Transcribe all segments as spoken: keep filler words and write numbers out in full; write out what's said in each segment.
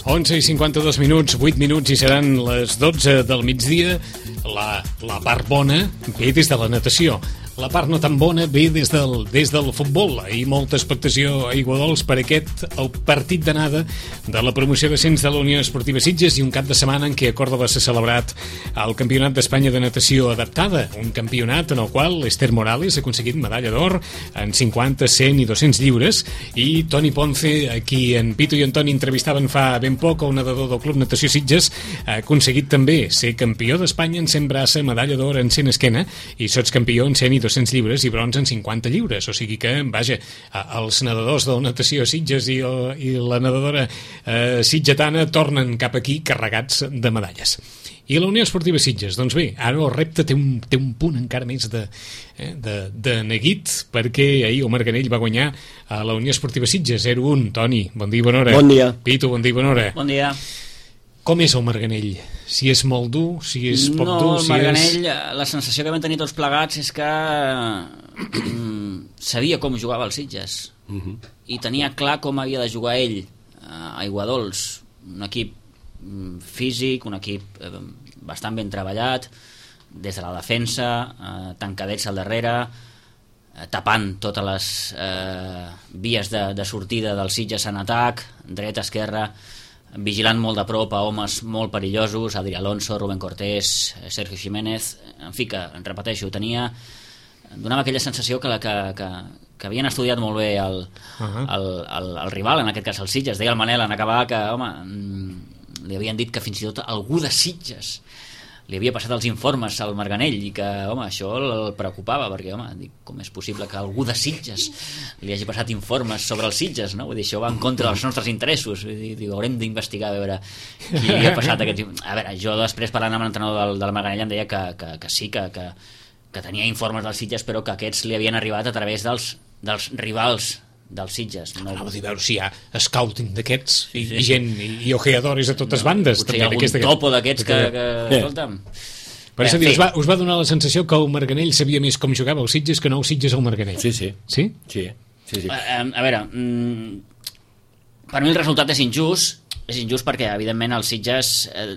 onze i cinquanta-dos minuts, vuit minuts i seran les dotze del migdia. La, la part bona ve des de la natació. La part no tan bona ve des del, des del futbol. Ahir molta expectació a Aiguadols per aquest el partit d'anada de la promoció d'ascens de la Unió Esportiva Sitges i un cap de setmana en què a Còrdova s'ha celebrat el Campionat d'Espanya de Natació Adaptada, un campionat en el qual Esther Morales ha aconseguit medalla d'or en cinquanta, cent i dos-cents lliures, i Toni Ponce, a qui en Pito i en Toni entrevistaven fa ben poc, el nedador del Club Natació Sitges, ha aconseguit també ser campió d'Espanya en cent braça, medalla d'or en cent esquena i sotscampió en cent i dos-cents lliures i bronze en cinquanta lliures. O sigui que, vaja, els nedadors del Natació Sitges i, el, i la nedadora eh, sitgetana tornen cap aquí carregats de medalles. I la Unió Esportiva Sitges, doncs bé, ara el repte té un, té un punt encara més de, eh, de, de neguit, perquè ahir el Marganell va guanyar a la Unió Esportiva Sitges zero a un. Toni, bon dia i bona hora. Bon dia. Pito, bon dia i bona hora. Bon dia. Com és el Marganell? Si és molt dur, si és poc no, dur... No, el si Marganell, és... la sensació que vam tenir tots plegats és que mm, sabia com jugava el Sitges uh-huh. i tenia clar com havia de jugar ell a Aiguadols, un equip mm, físic, un equip eh, bastant ben treballat, des de la defensa, eh, tancadets al darrere, eh, tapant totes les eh, vies de, de sortida del Sitges en atac, dreta, esquerra, vigilant molt de prop a homes molt perillosos, Adri Alonso, Rubén Cortés, Sergio Jiménez, en fi, que, repeteixo, tenia, donava aquella sensació que, la, que, que, que havien estudiat molt bé el, uh-huh. el, el, el rival, en aquest cas el Sitges. Deia el Manel en acabar que, home, li havien dit que fins i tot algú de Sitges li havia passat els informes al Marganell i que, home, això el preocupava perquè, home, dic, com és possible que algú de Sitges li hagi passat informes sobre els Sitges, no? Vull dir, això va en contra dels nostres interessos. Vull dir, dic, haurem d'investigar a veure qui li ha passat aquests... A veure, jo després parlant amb l'entrenador del, del Marganell em deia que, que, que sí, que, que, que tenia informes dels Sitges, però que aquests li havien arribat a través dels, dels rivals dels Sitges. No? Anava a dir, veure si hi ha scouting d'aquests i, sí, sí. i gent, i, i ojeadores a totes no, bandes. Potser hi ha algun topo d'aquests que, que, que escolta'm... Per això dir, us, va, us va donar la sensació que el Marganell sabia més com jugava el Sitges que no el Sitges al Marganell. Sí, sí. Sí? Sí, sí, sí. A, a veure, mm, per mi el resultat és injust, és injust perquè, evidentment, el Sitges, eh,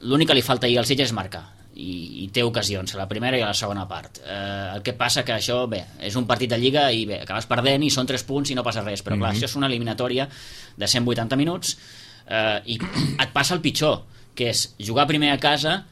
l'únic que li falta ahir al Sitges és marcar. I, i té ocasions, a la primera i a la segona part. Eh, el que passa que això, bé, és un partit de Lliga i bé, acabes perdent i són tres punts i no passa res, però clar, mm-hmm. això és una eliminatòria de cent vuitanta minuts eh, i et passa el pitjor, que és jugar primer a casa,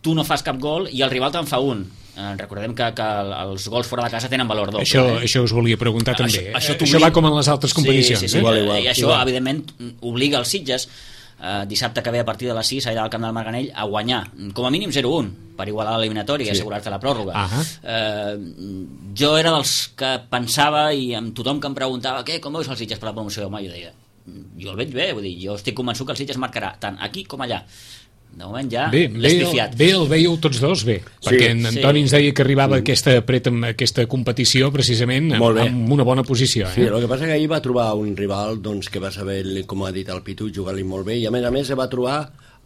tu no fas cap gol i el rival te'n fa un. Eh, recordem que, que els gols fora de casa tenen valor doble. Això, eh? això us volia preguntar això, també. Això, això va com en les altres competicions. Sí, sí, sí. Eh? Igual, igual. I això, igual. Evidentment, obliga els Sitges Uh, dissabte que ve a partir de les sis allà al camp del Marganell a guanyar, com a mínim zero a un per igualar l'eliminatori i sí. assegurar-te la pròrroga. uh-huh. uh, jo era dels que pensava i amb tothom que em preguntava què, com veus els Sitges per la promoció, home, jo deia, jo el veig bé, vull dir, jo estic convençut que el Sitges marcarà tant aquí com allà. De moment ja l'he espifiat. Bé, el veieu tots dos bé, sí, perquè en Antoni sí. ens deia que arribava a aquesta, aquesta competició precisament amb, amb una bona posició. Eh? Sí, el que passa que ahir va trobar un rival doncs, que va saber, com ha dit el Pitu, jugar-li molt bé i a més a més se va trobar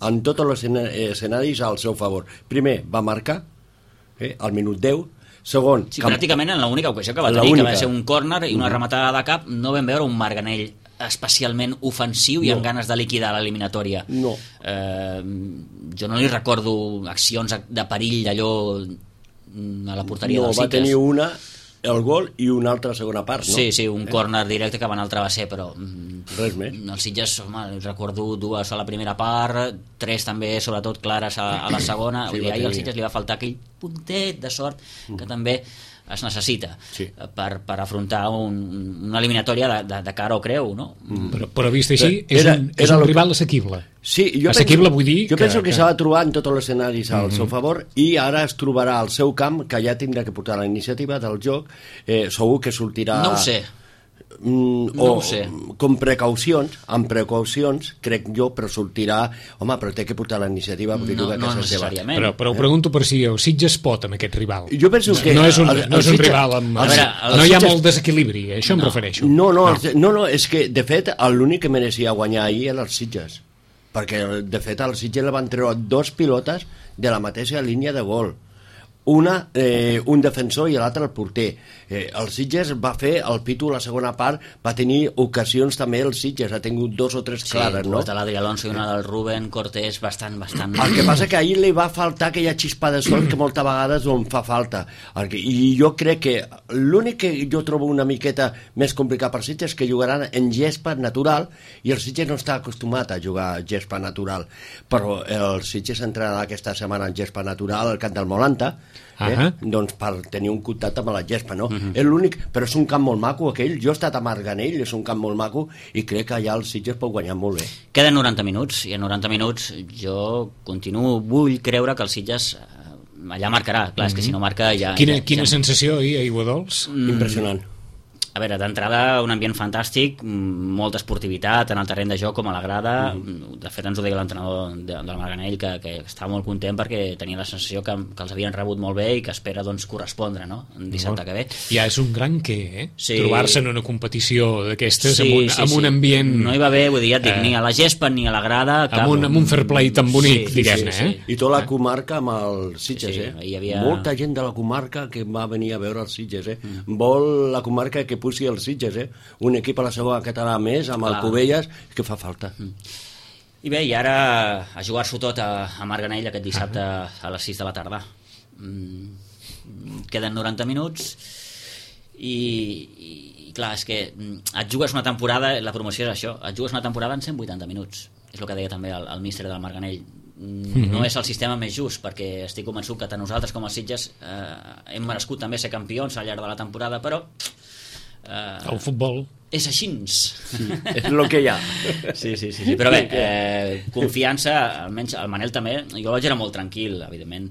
en tots els escenaris al seu favor. Primer va marcar eh, al minut deu. Segon, sí, cap... pràcticament en l'única ocasió que va tenir, que va ser un córner i una rematada de cap, no vam veure un Marganell especialment ofensiu i no. amb ganes de liquidar l'eliminatòria. No. Eh, jo no li recordo accions de perill allò a la porteria no, dels Sitges. Va tenir una, el gol, i una altra segona part, no? Sí, sí, un eh? córner directe que va anar al travesser, però... Res més. Els Sitges, home, recordo dues a la primera part, tres també, sobretot, clares a, a la segona. Sí, ahir al Sitges li va faltar aquell puntet de sort que mm. també es necessita sí. per, per afrontar un, una eliminatòria de, de, de cara o creu, no? Mm. Però, però vist així, és era, un, és un rival assequible. Sí, jo assequible penso, vull dir... Jo que, penso que, que... s'ha de trobar en tots els escenaris al mm-hmm. seu favor i ara es trobarà al seu camp, que ja tindrà que portar la iniciativa del joc, eh, segur que sortirà... No ho sé. Mm, no o ho sé. Com precaucions, amb precaucions, crec jo, però sortirà, home, però té que portar la iniciativa perquè no, juga a no casa seva. Però, però ho pregunto per si el Sitges pot amb aquest rival. Jo penso que no és un, el, el, no és un Sitges, rival amb... El, veure, no hi ha Sitges... molt desequilibri, a això no. em refereixo. No, no, no. no, no, és que de fet l'únic que mereixia guanyar ahir era els Sitges, perquè de fet al Sitges le van treure dos pilotes de la mateixa línia de gol. una, eh, un defensor i l'altre el porter. Eh, el Sitges va fer, el Pitu la segona part, va tenir ocasions també, el Sitges ha tingut dos o tres clares, sí, no? Sí, de l'Adri Alonso i una del Ruben Cortés bastant, bastant... El que passa que ahir li va faltar aquella xispa de sol que moltes vegades on fa falta. I jo crec que l'únic que jo trobo una miqueta més complicat per Sitges és que jugaran en gespa natural i el Sitges no està acostumat a jugar a gespa natural. Però el Sitges entrarà aquesta setmana en gespa natural al camp del Molanta, eh? Uh-huh. Doncs per tenir un contacte amb la gespa, no? Uh-huh. És l'únic, però és un camp molt maco aquell, jo he estat a Marganell, és un camp molt maco i crec que allà el Sitges pot guanyar molt bé. Queden noranta minuts i en noranta minuts jo continuo, vull creure que el Sitges allà marcarà, clar, uh-huh. és que si no marca ja... Quina, ja, quina ja... sensació ahir a Aiguadols? Mm. Impressionant. A veure, d'entrada un ambient fantàstic, molta esportivitat en el terreny de joc com a la grada. Mm-hmm. De fet ens ho deia l'entrenador de, del Marganell que, que estava molt content perquè tenia la sensació que, que els havien rebut molt bé i que espera doncs, correspondre, no? En dissabte que ve. Ja és un gran què, eh? Sí. Trobar-se en una competició d'aquestes sí, amb, un, sí, amb sí. un ambient... No hi va haver, vull dir, ja et dic, eh... ni a la gespa ni a la grada cap... amb, un, amb un fair play tan bonic, sí, diguem-ne, sí, sí. eh? I tota la comarca amb el Sitges, sí, sí. eh? Hi havia... Molta gent de la comarca que va venir a veure els Sitges, eh? Mm. Vol la comarca que pusi els Sitges, eh? Un equip a la segona catalana més, amb Clar. el Cubelles, que fa falta. Mm. I bé, i ara a jugar-s'ho tot a, a Marganell aquest dissabte uh -huh. a les sis de la tarda. Mm, queden noranta minuts i, i, i clar, és que et jugues una temporada, la promoció és això, et jugues una temporada en cent vuitanta minuts. És el que deia també el, el míster del Marganell. Mm-hmm. No és el sistema més just, perquè estic convençut que tant nosaltres com els Sitges eh, hem merescut també ser campions al llarg de la temporada, però... Uh, el futbol és així, sí, és el que hi ha. Sí, sí, sí, sí. Però bé, eh, confiança, almenys el Manel també, jo vaig era molt tranquil, evidentment,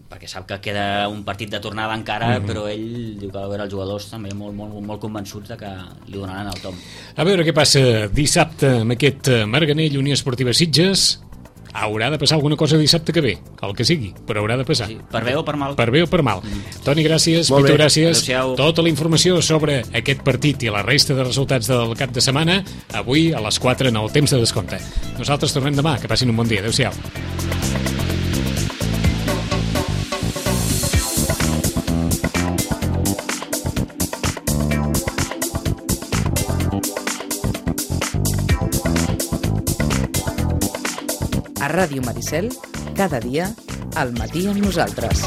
perquè sap que queda un partit de tornada encara, mm-hmm. però ell diu que va veure els jugadors també molt, molt, molt convençuts de que li donaran el tom. A veure què passa dissabte amb aquest Marganell Unió Esportiva Sitges. Haurà de passar alguna cosa dissabte que ve, el que sigui, però haurà de passar. Sí, per bé o per mal. Per bé o per mal. Mm. Toni, gràcies, Pitu, gràcies. Tota la informació sobre aquest partit i la resta de resultats del cap de setmana, avui a les quatre en el temps de descompte. Nosaltres tornem demà, que passin un bon dia. Adéu-siau. A Ràdio Maricel, cada dia, al matí amb nosaltres.